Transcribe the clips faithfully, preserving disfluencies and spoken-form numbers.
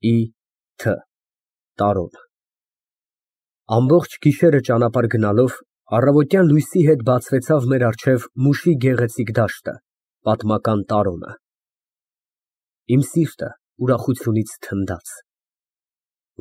Ի Թ Տարոն Ամբողջ գիշերը ճանապարհ գնալով առավոտյան լույսի հետ բացվեցավ մեր առջև Մուշի գեղեցիկ դաշտը, պատմական Տարոնը։ Իմ սիրտը ուրախությունից թնդաց։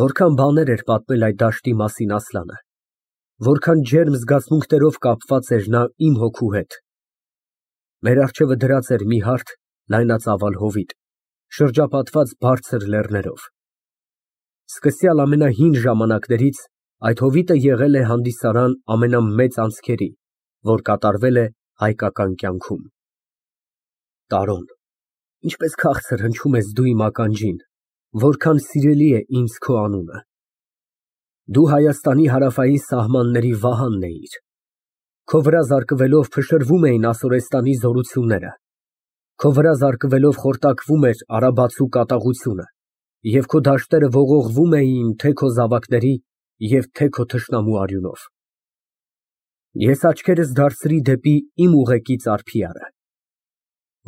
Որքան բաներ էր պատմել այդ դաշտի մասին Ասլանը, որքան ջերմ զգացմունքներով կապված էր նա իմ հոգու հետ։ Մեր առջևը դրած էր մի հարթ, լայնածավալ հովիտ, շրջապատված բարձր լեռներով։ Սկսյալ ամենահին ժամանակներից այդ հովիտը եղել է հանդիսարան ամենամեծ անցքերի, որ կատարվել է հայկական կյանքում։ Տարոն, ինչպես քաղցր հնչում ես դու իմ ականջին, որքան սիրելի է ինձ քո անունը։ Դու Հայաստանի հարավային սահմանների վահանն էիր։ Քո վրա զարկվելով փշրվում էին Ասորեստանի զորությունները, քո վրա զարկվելով խորտակվում էր արաբացու կատաղությունը, և քո դաշտերը ողողվում էին թե քո զավակների և թե քո թշնամու արյունով։ Ես աչքերս դարձրի դեպի իմ ուղեկից Արփիարը։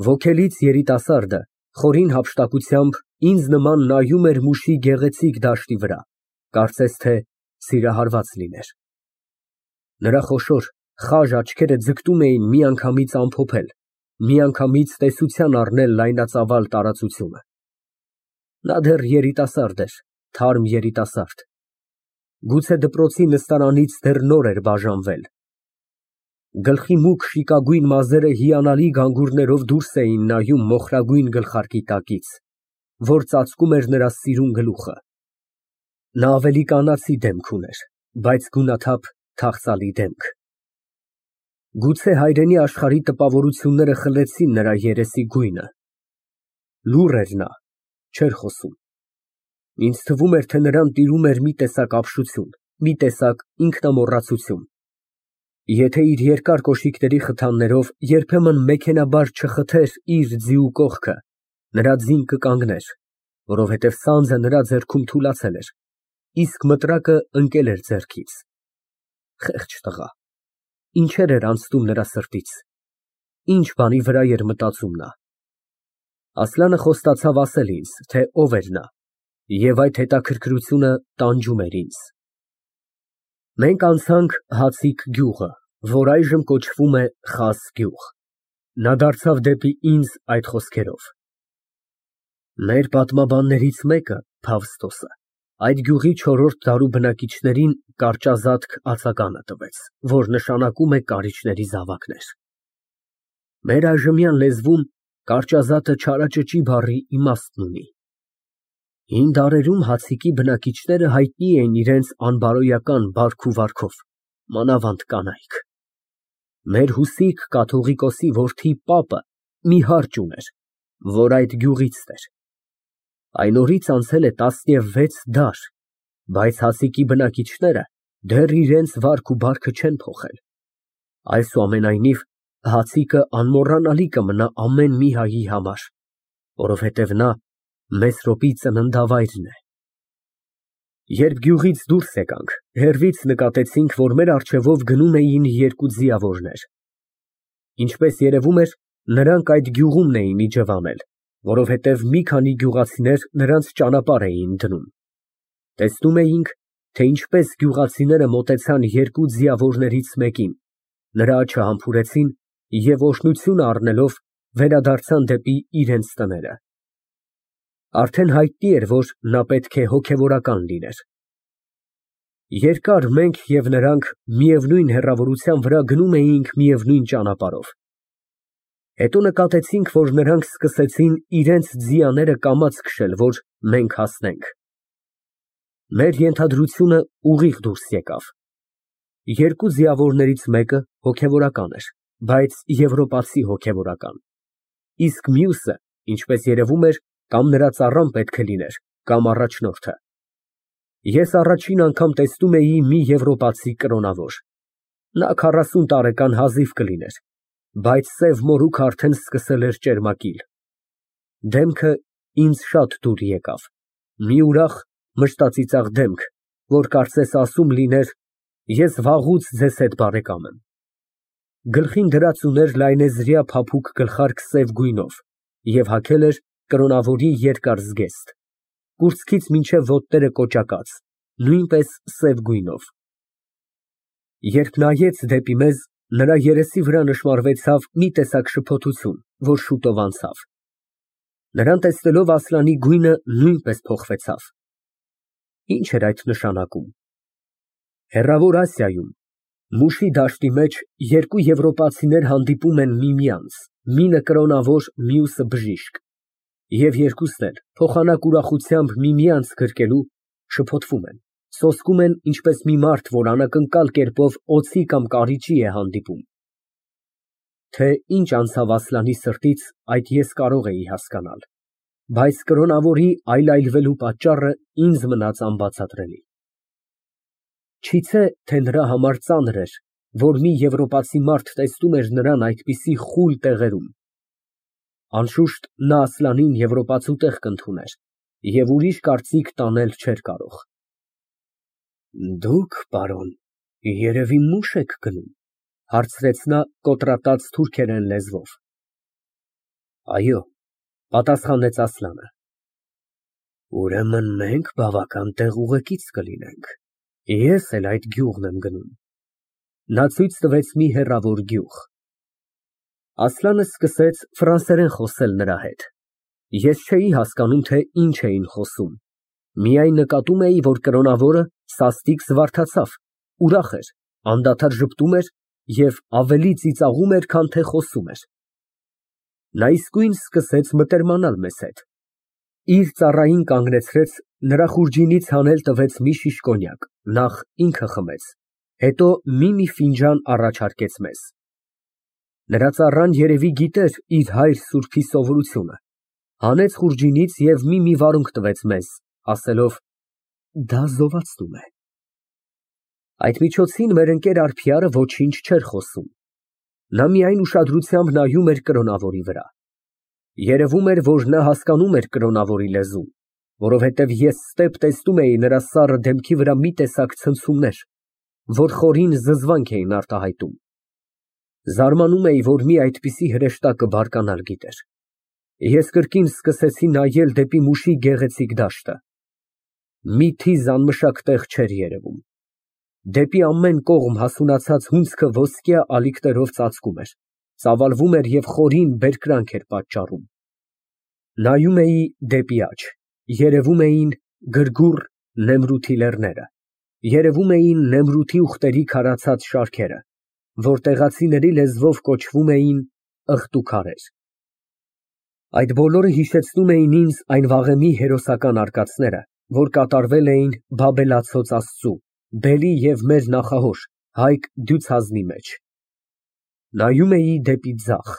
Ոգելից երիտասարդը խորին հափշտակությամբ ինձ նման նայում էր Մուշի գեղեցիկ դաշտի վրա, կարծես թե սիրահարված լիներ։ Նրա խոշոր խաժ աչքերը ձգտում էին միանգամից ամփոփել, միանգամից տեսության առնել լայնածավալ տարածությունը։ Նա դեռ երիտասարդ էր, թարմ երիտասարդ։ Գուցե դպրոցի նստարանից դեռ նոր էր բաժանվել։ Գլխի մուգ շիկագույն մազերը հիանալի գանգուրներով դուրս էին նայում մոխրագույն գլխարկի տակից, որ ծածկում էր նրա սիրուն գլուխը։ Նա ավելի կանացի դեմք ուներ, բայց գունաթափ, թախծալի դեմք։ Գուցե հայրենի աշխարհի տպավորությունները խլեցին նրա երեսի գույնը։ Լուռ էր նա, չէր խոսում։ Ինձ թվում էր, թե նրան տիրում էր մի տեսակ ապշություն, մի տեսակ ինքնամոռացություն։ Եթե իր երկար կոշիկների խթաններով երբեմն մեքենայաբար չխթեր իր ձիու կողքը, նրա ձին կկանգներ, որովհետև սանձը նրա ձեռքում թուլացել էր, իսկ մտրակը ընկել էր ձեռքից։ Խեղճ տղա, ինչեր էր անցնում նրա սրտից, ինչ բանի վրա էր մտածում նա։ Ասլանը խոստացավ ասել ինձ, թե ով էր նա, և այդ հետաքրքրությունը տանջում էր ինձ։ Մենք անցանք Հացիկ գյուղը, որ այժմ կոչվում է Խաս գյուղ։ Նա դարձավ դեպի ինձ այդ խոսքերով. Մեր պատմաբաններից մեկը, Ֆավստոսը, այդ գյուղի չորրորդ դարու բնակիչներին կարճազատկ արձագանը տվեց, որ նշանակում է կարիճների զավակներ։ Մեր այժմյան լեզվում կարճազատը չարաճճի բառի իմաստն ունի։ Հին դարերում Հացիկի բնակիչները հայտնի էին իրենց անբարոյական բարք ու վարքով, մանավանդ կանայք։ Մեր Հուսիկ կաթողիկոսի որդի պապը մի հարճ ուներ, որ այդ գյուղից էր։ Այն օրից անցել է տասնվեց դար, բայց Հացիկի բնակիչները դեռ իրենց վարք ու բարքը չեն փոխել։ Այսուամենայնիվ, Հացիկը անմոռանալի կմնա ամեն մի հայի համար, որովհետև նա Մեսրոպի ծննդավայրն է։ Երբ գյուղից դուրս եկանք, հեռվից նկատեցինք, որ մեր առջևով գնում էին երկու ձիավորներ։ Ինչպես երևում էր, նրանք այդ գյուղումն էին իջևանել, որովհետև մի քանի գյուղացիներ նրանց ճանապարհ էին դնում։ Տեսնում էինք, թե ինչպես գյուղացիները մոտեցան երկու ձիավորներից մեկին, նրա աչքը համբուրեցին և օրհնություն առնելով վերադարձան դեպի իրենց տները։ Արդեն հայտնի էր, որ նա պետք է հոգևորական լիներ։ Երկար մենք և նրանք միևնույն հեռավորության վրա գնում էինք միևնույն ճանապարհով։ Հետո նկատեցինք, որ նրանք սկսեցին իրենց ձիաները կամաց քշել, որ մենք հասնենք։ Մեր ենթադրությունը ուղիղ դուրս եկավ։ Երկու ձիավորներից մեկը հոգևորական էր, բայց եվրոպացի հոգևորական, իսկ մյուսը, ինչպես երևում էր, կամ նրա ծառան պետք է լիներ, կամ առաջնորդը։ Ես առաջին անգամ տեսնում էի մի եվրոպացի կրոնավոր։ Նա քառասուն տարեկան հազիվ կլիներ, բայց սև մորուքը արդեն սկսել էր ճերմակիլ։ Դեմքը ինձ շատ դուր եկավ, մի ուրախ, մշտածիծաղ դեմք, որ կարծես ասում լիներ. ես վաղուց ձեզ հետ բարեկամ եմ։ Գլխին դրած ուներ լայնեզրյա փափուկ գլխարկ սև գույնով և հագել էր կրոնավորի երկար զգեստ։ կուրծքից մինչև ոտները կոճակած, նույնպես սև գույնով։ Երբ նայեց դեպի մեզ, նրա երեսի վրա նշմարվեցավ մի տեսակ շփոթություն, որ շուտով անցավ։ Նրան տեսնելով Ասլանի գույնը նույնպես փոխվեցավ։ Ինչ էր այդ նշանակում։ Հեռավոր Ասիայում, Մուշի դաշտի մեջ երկու եվրոպացիներ հանդիպում են միմյանց, մինը կրոնավոր, մյուսը բժիշկ, և երկուսն էլ փոխանակ ուրախությամբ միմյանց գրկելու շփոթվում են, սոսկում են, ինչպես մի մարդ, որ անակնկալ կերպով օձի կամ կարիճի է հանդիպում։ Թե ինչ անցավ Ասլանի սրտից, այդ ես կարող էի հասկանալ, բայց կրոնավորի այլայլվելու պատճառը ինձ մնաց անբացատրելի։ Չիցե, թե նրա համար ծանր էր, որ մի եվրոպացի մարդ տեսնում էր նրան այդպիսի խուլ տեղերում։ Անշուշտ, նա Ասլանին եվրոպացու տեղ կընդուներ և ուրիշ կարծիք տանել չէր կարող։ Դուք, պարոն, երևի մուշ եք գնում, հարցրեց նա կոտրատած թուրքերեն լեզվով։ Այո, պատասխանեց Ասլանը։ Ուրեմն մենք բավական տեղուղեկից կլինենք, ես էլ այդ գյուղն եմ գնում։ Նա ցույց տվեց մի հեռավոր գյուղ։ Ասլանը սկսեց ֆրանսերեն խոսել նրա հետ։ Ես չէի հասկանում, թե ինչ էին խոսում, միայն նկատում էի, որ կրոնավորը սաստիկ զվարթացավ, ուրախ էր, անդադար ժպտում էր և ավելի ծիծաղում էր, քան թե խոսում էր։ Նա իսկույն սկսեց մտերմանալ մեզ հետ։ Իր ծառային կանգնեցրեց, նրա խուրջինից հանել տվեց մի շիշ կոնյակ, նախ ինքը խմեց, հետո մի֊մի ֆինջան առաջարկեց մեզ։ Նրա ծառան երևի գիտեր իր հայր սուրբի սովորությունը, հանեց խուրջինից և մի֊մի վարունգ տվեց մեզ, ասելով. Դա զովացնում է։ Այդ միջոցին մեր ընկեր Ալփիարը ոչինչ չէր խոսում։ Նա միայն ուշադրությամբ նայում էր կրոնավորի վրա։ Երևում էր, որ նա հասկանում էր կրոնավորի լեզուն, որովհետև ես ստեպ տեսնում էի նրա սառը դեմքի վրա մի տեսակ ցնցումներ, որ խորին զզվանք էին արտահայտում։ Զարմանում էի, որ մի այդպիսի հրեշտակը բարկանալ գիտեր։ Ես կրկին սկսեցի նայել դեպի Մուշի գեղեցիկ դաշտը։ Մի թիզ անմշակ տեղ չէր երևում։ Դեպի ամեն կողմ հասունացած հունձքը ոսկյա ալիքներով ծածկում էր, ծավալվում էր և խորին բերկրանք էր պատճառում։ Նայում էի դեպի աջ, երևում էին գրգուռ Նեմրութի լեռները, երևում էին Նեմրութի ուղտերի քարացած շարքերը, որ տեղացիների լեզվով կոչվում էին Ըղտուքարեր։ Այդ բոլորը հիշեցնում էին ինձ այն վաղեմի հերոսական արկածները, որ կատարվել էին Բաբելացոց Աստծու, Բելի և մեր նախահոր Հայկ Դյուցազնի մեջ։ Նայում էի դեպի ձախ,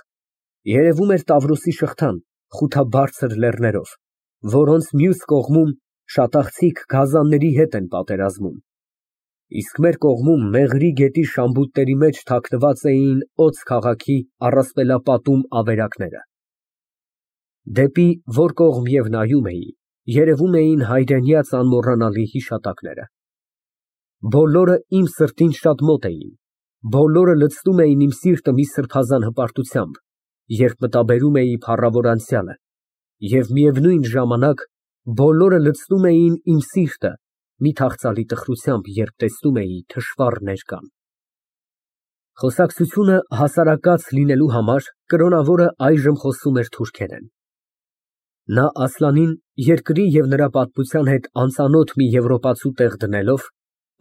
երևում էր Տավրոսի շղթան խութաբարձր լեռներով, որոնց մյուս կողմում շատախցիկ գազանների հետ են պատերազմում, իսկ մեր կողմում Մեղրի գետի շամբուտների մեջ թաքնված էին Օց քաղաքի առասպելապատում ավերակները։ Դեպի որ կողմ և նայում էի, երևում էին հայրենյաց անմոռանալի հիշատակները։ Բոլորը իմ սրտին շատ մոտ էին, բոլորը լցնում էին իմ սիրտը մի սրբազան հպարտությամբ, երբ մտաբերում էի փառավոր անցյալը, և միևնույն ժամանակ բոլորը լցնում էին իմ սիրտը մի թախծալի տխրությամբ, երբ տեսնում էի թշվառ ներկան։ Խոսակցությունը հասարակած լինելու համար կրոնավորը այժմ խոսում էր թուրքերեն։ Նա Ասլանին երկրի և նրա պատմության հետ անծանոթ մի եվրոպացու տեղ դնելով,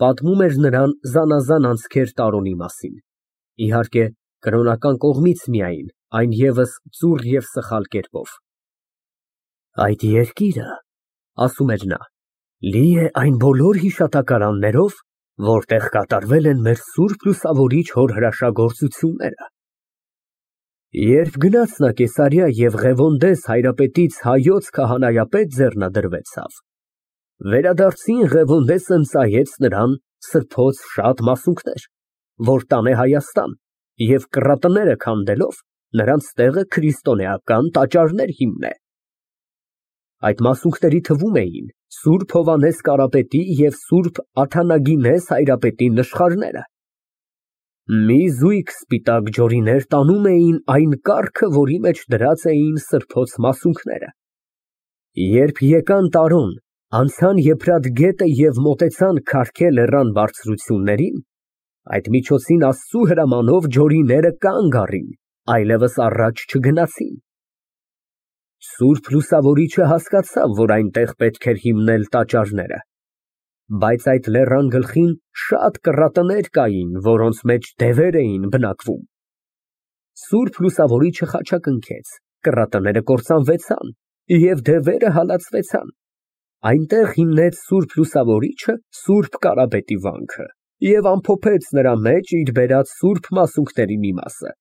պատմում էր նրան զանազան անցքեր Տարոնի մասին, իհարկե, կրոնական կողմից միայն, այն ևս ծուռ և սխալ կերպով։ Այդ երկիրը, ասում էր նա, լի է այն բոլոր հիշատակարաններով, որտեղ կատարվել են մեր սուրբ լուսավորիչ հոր հրաշագործությունները։ Երբ գնաց նա Կեսարիա և Ղևոնդես հայրապետից հայոց քահանայապետ ձեռնադրվեցավ, վերադարձին Ղևոնդեսը ընծայեց նրան սրբոց շատ մասունքներ, որ տանե Հայաստան և կռատները քանդելով, նրանց տեղը քրիստոնեական տաճարներ հիմնե։ Այդ մասունքների թվում էին սուրբ Հովհաննես Կարապետի և սուրբ Աթանագինես հայրապետի նշխարները։ Մի զույգ սպիտակ ջորիներ տանում էին այն կառքը, որի մեջ դրած էին սրբոց մասունքները։ Երբ եկան Տարոն Անցան Եփրատ գետը և մոտեցան Քարքե լեռան բարձրություններին, այդ միջոցին Աստծու հրամանով ջորիները կանգ առին, այլևս առաջ չգնացին։ Սուրբ Լուսավորիչը հասկացավ, որ այնտեղ պետք էր հիմնել տաճարները, բայց այդ լեռան գլխին շատ կռատներ կային, որոնց մեջ դևեր էին բնակվում։ Սուրբ Լուսավորիչը խաչակնքեց, կռատները կործանվեցան և դևերը հալածվեցան։ Այնտեղ հիմնեց Սուրբ Լուսավորիչը Սուրբ Կարապետի վանքը և ամփոփեց նրա մեջ իր բերած սուրբ մասունքների մի մասը։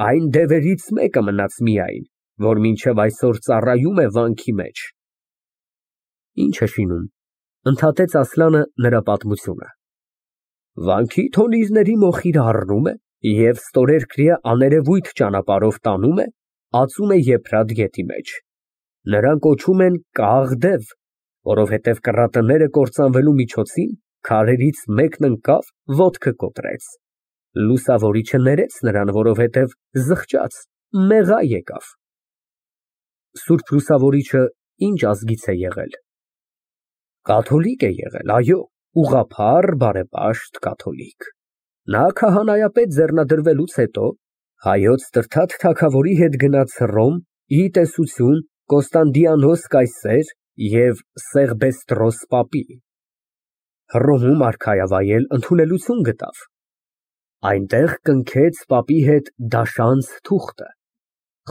Այն դևերից մեկը մնաց միայն, որ մինչև այսօր ծառայում է վանքի մեջ։ Ի՞նչ է շինում, ընդհատեց Ասլանը նրա պատմությունը։ Վանքի թոնիրների մոխիրը առնում է և ստորերկրյա աներևույթ ճանապարհով տանում է, ածում է Եփրատ գետի մեջ։ Նրան կոչում են Կաղ դև, որովհետև կռատները կործանվելու միջոցին քարերից մեկն ընկավ, ոտքը կոտրեց։ Լուսավորիչը ներեց նրան, որովհետև զղջաց, մեղա եկավ։ Սուրբ Լուսավորիչը ինչ ազգից է եղել։ Կաթոլիկ է եղել, այո, ուղղափառ, բարեպաշտ կաթոլիկ։ Նա քահանայապետ ձեռնադրվելուց հետո հայոց Տրդատ թագավորի հետ գնաց Հռոմ, ի տեսություն Կոստանդիանոս կայսեր և Սեղբեստրոս պապի։ Հռոմում արքայավայել ընդունելություն գտավ։ Այնտեղ կնքեց պապի հետ դաշանց թուղթը,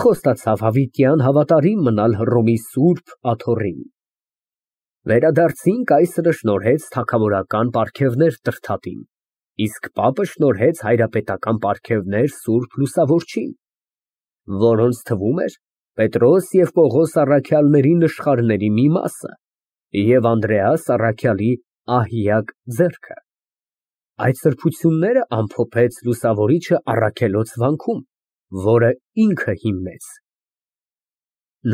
խոստացավ հավիտյան հավատարիմ մնալ Հռոմի Սուրբ Աթոռին։ Վերադարձին կայսրը շնորհեց թագավորական պարգևներ Տրդատին, իսկ պապը շնորհեց հայրապետական պարգևներ Սուրբ Լուսավորչին, որոնց թվում էր Պետրոս և Պողոս առաքյալների նշխարների մի մասը և Անդրեաս առաքյալի ահիակ ձեռքը։ Այդ սրբությունները ամփոփեց Լուսավորիչը Առաքելոց վանքում, որը ինքը հիմնեց։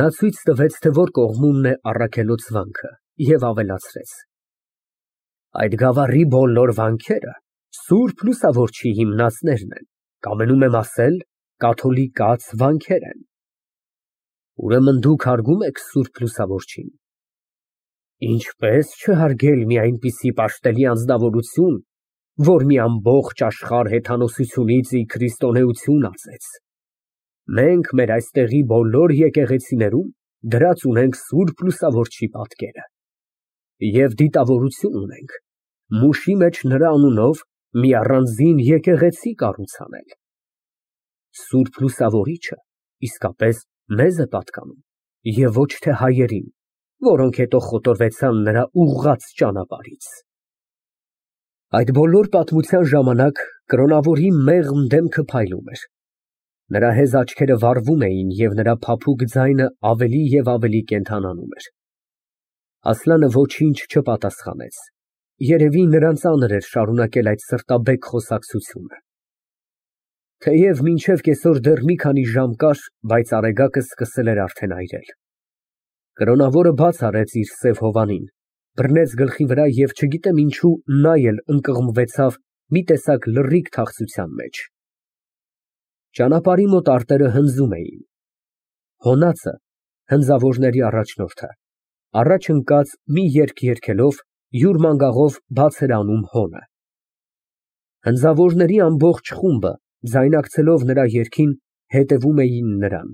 Նա ցույց տվեց, թե որ կողմումն է Առաքելոց վանքը և ավելացրեց. այդ գավառի բոլոր վանքերը Սուրբ Լուսավորչի հիմնածներն են, կամենում եմ ասել, կաթոլիկաց վանքեր են։ Ուրեմն դուք հարգում եք Սուրբ Լուսավորչին։ Ինչպես չհարգել մի այնպիսի պաշտելի անձնավորություն, որ մի ամբողջ աշխարհ հեթանոսությունից ի քրիստոնեություն ածեց։ Մենք մեր այստեղի բոլոր եկեղեցիներում դրած ունենք Սուրբ Լուսավորչի պատկերը և դիտավորություն ունենք մուշի մեջ նրա անունով մի առանձին եկեղեցի կառույց անել։ Սուրբ Լուսավորիչը իսկապես մեզ է պատկանում և ոչ թե հայերին, որոնք հետո խոտորվեցան նրա ուղղած ճանապարհից։ Այդ բոլոր պատմության ժամանակ կրոնավորի մեղմ դեմքը փայլում էր։ Նրա հեզ աչքերը վառվում էին և նրա փափուկ ձայնը ավելի և ավելի կենդանանում էր։ Ասլանը ոչինչ չպատասխանեց, երևի նրան ծանր էր շարունակել այդ սրտաբեկ խոսակցությունը։ Թեև մինչև կեսօր դեռ մի քանի ժամ կար, բայց արեգակը սկսել էր արդեն այրել։ Կրոնավորը բաց արեց իր սև հովանին, բռնեց գլխի վրա և չգիտեմ ինչու նա էլ ընկղմվեցավ մի տեսակ լռիկ թախծության մեջ։ Ճանապարհի մոտ արտերը հնձում էին։ Հոնացը, հնձավորների առաջնորդը, առաջ ընկած մի երգ երգելով յուր մանգաղով բաց էր անում հոնը։ Հնձավորների ամբողջ խումբը, ձայնակցելով նրա երգին, հետևում էին նրան։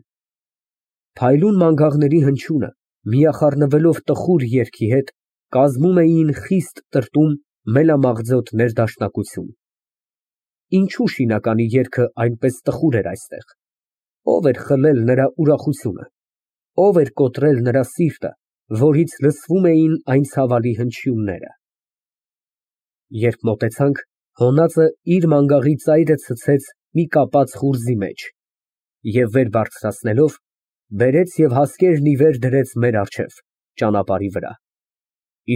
Փայլուն մանգաղների հնչյունը, միախառնվելով տխուր երգի հետ, կազմում էին խիստ տրտում մելամաղձոտ ներդաշնակություն։ Ինչու շինականի երգը այնպես տխուր էր այստեղ, ո՞վ էր խլել նրա ուրախությունը, ո՞վ էր կոտրել նրա սիրտը, որից լսվում էին այն ցավալի հնչյունները։ Երբ մոտեցանք, հոնածը իր մանգաղի ծայրը ցցեց մի կապած խուրձի մեջ և վեր բարձրացնելով, բերեց և հասկերն ի վեր դրեց մեր առջև, ճանապարհի վրա,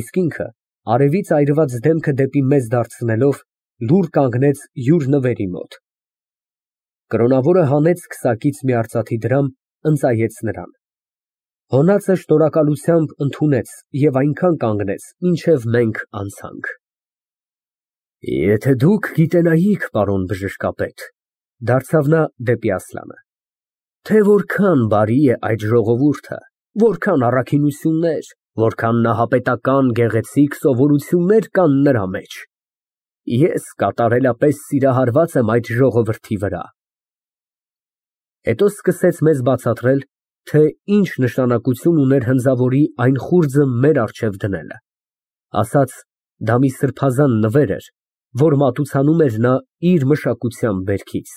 իսկ ինքը, արևից այրված դեմքը դեպի մեզ դարձնելով, լուռ կանգնեց յուր նվերի մոտ։ Կրոնավորը հանեց քսակից մի արծաթի դրամ, ընծայեց նրան։ Հոնածը շնորհակալությամբ ընդունեց և այնքան կանգնեց, մինչև մենք անցանք։ Եթե դուք գիտենայիք, պարոն բժշկապետ, դարձավ նա դեպի Ասլանը, թե որքան բարի է այդ ժողովուրդը, որքան առաքինություններ, որքան նահապետական գեղեցիկ սովորություններ կան նրա մեջ։ Ես կատարելապես սիրահարված եմ այդ ժողովրդի վրա։ Հետո սկսեց մեզ բացատրել, թե ինչ նշանակություն ուներ հնձավորի այն խուրձը մեր առջև դնելը, ասաց, դա մի սրբազան նվեր էր, որ մատուցանում էր նա իր մշակության բերքից։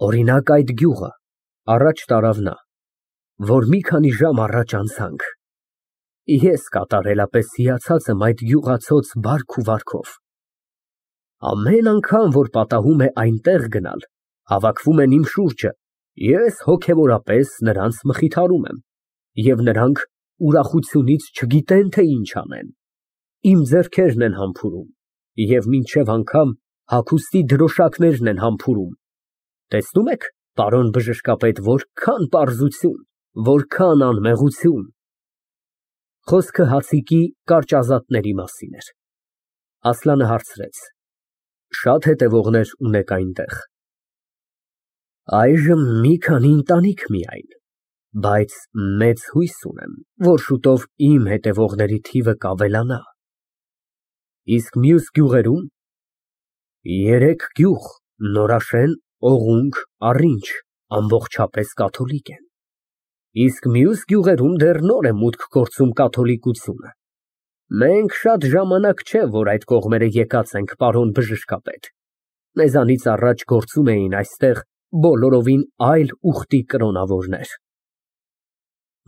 Օրինակ, այդ գյուղը, առաջ տարավ նա, որ մի քանի ժամ առաջ անցանք, ես կատարելապես հիացած եմ այդ գյուղացոց բարք ու վարքով։ Ամեն անգամ, որ պատահում է այնտեղ գնալ, հավաքվում են իմ շուրջը, ես հոգևորապես նրանց մխիթարում եմ, և նրանք ուրախությունից չգիտեն, թե ինչ անեն, իմ ձեռքերն են համբուրում և մինչև անգամ հագուստի դրոշակներն են համբուրում, տեսնում եք, պարոն բժշկապետ, որքան պարզություն, որքան անմեղություն։ Խոսքը հացիկի կարճազատների մասին էր։ Ասլանը հարցրեց. Շատ հետևողներ ունեք այնտեղ։ Այժմ մի քանի ընտանիք միայն, բայց մեծ հույս ունեմ, որ շուտով իմ հետևողների թիվը կավելանա։ Իսկ մյուս գյուղերում։ Երեք գյուղ, Նորաշեն, Օղունկ, Առինջ, ամբողջապես կաթոլիկ են, իսկ մյուս գյուղերում դեռ նոր է մուտք գործում կաթոլիկությունը։ Մենք շատ ժամանակ չէ, որ այդ կողմերը եկած ենք, պարոն բժշկապետ, մեզանից առաջ գործում էին այստեղ բոլորովին այլ ուխտի կրոնավորներ։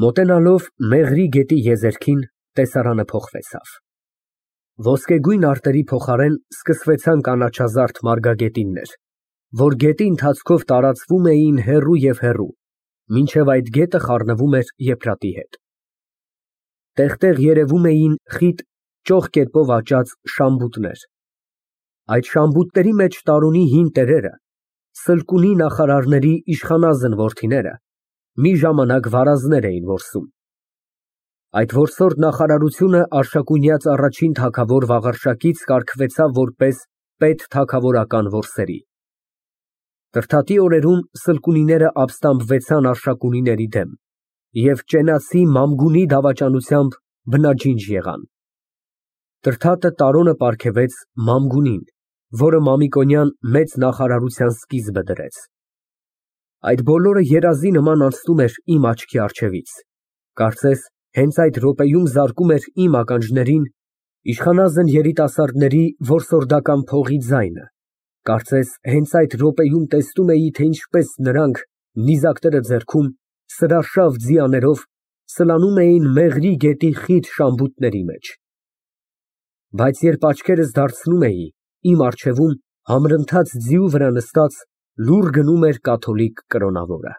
Մոտենալով Մեղրի գետի եզերքին, տեսարանը փոխվեցավ։ Ոսկեգույն արտերի փոխարեն սկսվեցան կանաչազարդ մարգագետիններ, որ գետի ընթացքով տարածվում էին հեռու և հեռու, մինչև այդ գետը խառնվում էր եփրատի հետ։ Տեղ֊տեղ երևում էին խիտ ճոխ կերպով աճած շամբուտներ։ Այդ շամբուտների մեջ տարունի հին տերերը, սլկունի նախարարների իշխանազն որդիները, մի ժամանակ վարազներ էին որսում։ Այդ որսորդ նախարարությունը Արշակունյաց առաջին թագավոր Վաղարշակից կարգվեցավ որպես պետթագավորական որսերի։ Կրթատի օրերում սլկունիները ապստամբվեցան Արշակունիների դեմ և ճենացի Մամգունի դավաճանությամբ բնաջինջ եղան։ Կրթատը Տարոնը պարգևեց Մամգունին, որը Մամիկոնյան մեծ նախարարության սկիզբը դրեց։ Այդ բոլորը երազի նման անցնում էր իմ աչքի առջևից, կարծես հենց այդ րոպեում զարկում էր իմ ականջներին իշխանազն երիտասարդների որսորդական փողի ձայնը, կարծես հենց այդ րոպեում տեսնում էի, թե ինչպես նրանք, նիզակները ձեռքում, սրարշավ ձիաներով սլանում էին Մեղրի գետի խիտ շամբուտների մեջ։ Բայց երբ աչքերս դարձնում էի, իմ առջևում համրընթաց ձիու վրա նստած լուռ գնում էր կաթոլիկ կրոնավորը։